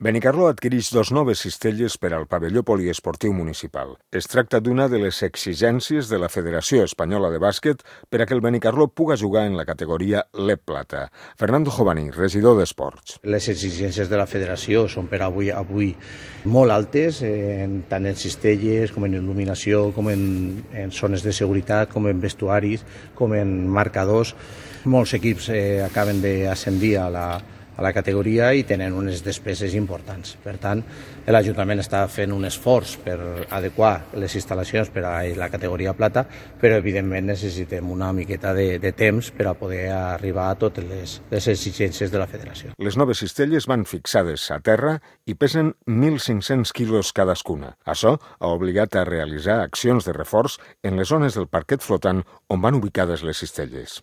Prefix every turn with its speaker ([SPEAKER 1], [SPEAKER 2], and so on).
[SPEAKER 1] Benicarló adquireix 2 noves cistelles per al pavelló poliesportiu municipal. Es tracta d'una de les exigències de la Federació Espanyola de Bàsquet per a que el Benicarló puga jugar en la categoria LEB Plata. Fernando Jovaní, regidor d'Esports.
[SPEAKER 2] Les exigències de la Federació són per avui molt altes, tant en cistelles com en il·luminació, com en zones de seguretat, com en vestuaris, com en marcadors. Molts equips acaben d'ascendir a la categoria i tenen unes despeses importants. Per tant, l'Ajuntament està fent un esforç per adequar les instal·lacions per a la categoria plata, però evidentment necessitem una miqueta de temps per a poder arribar a totes les exigències de la Federació.
[SPEAKER 1] Les noves cistelles van fixades a terra i pesen 1.500 quilos cadascuna. Això ha obligat a realitzar accions de reforç en les zones del parquet flotant on van ubicades les cistelles.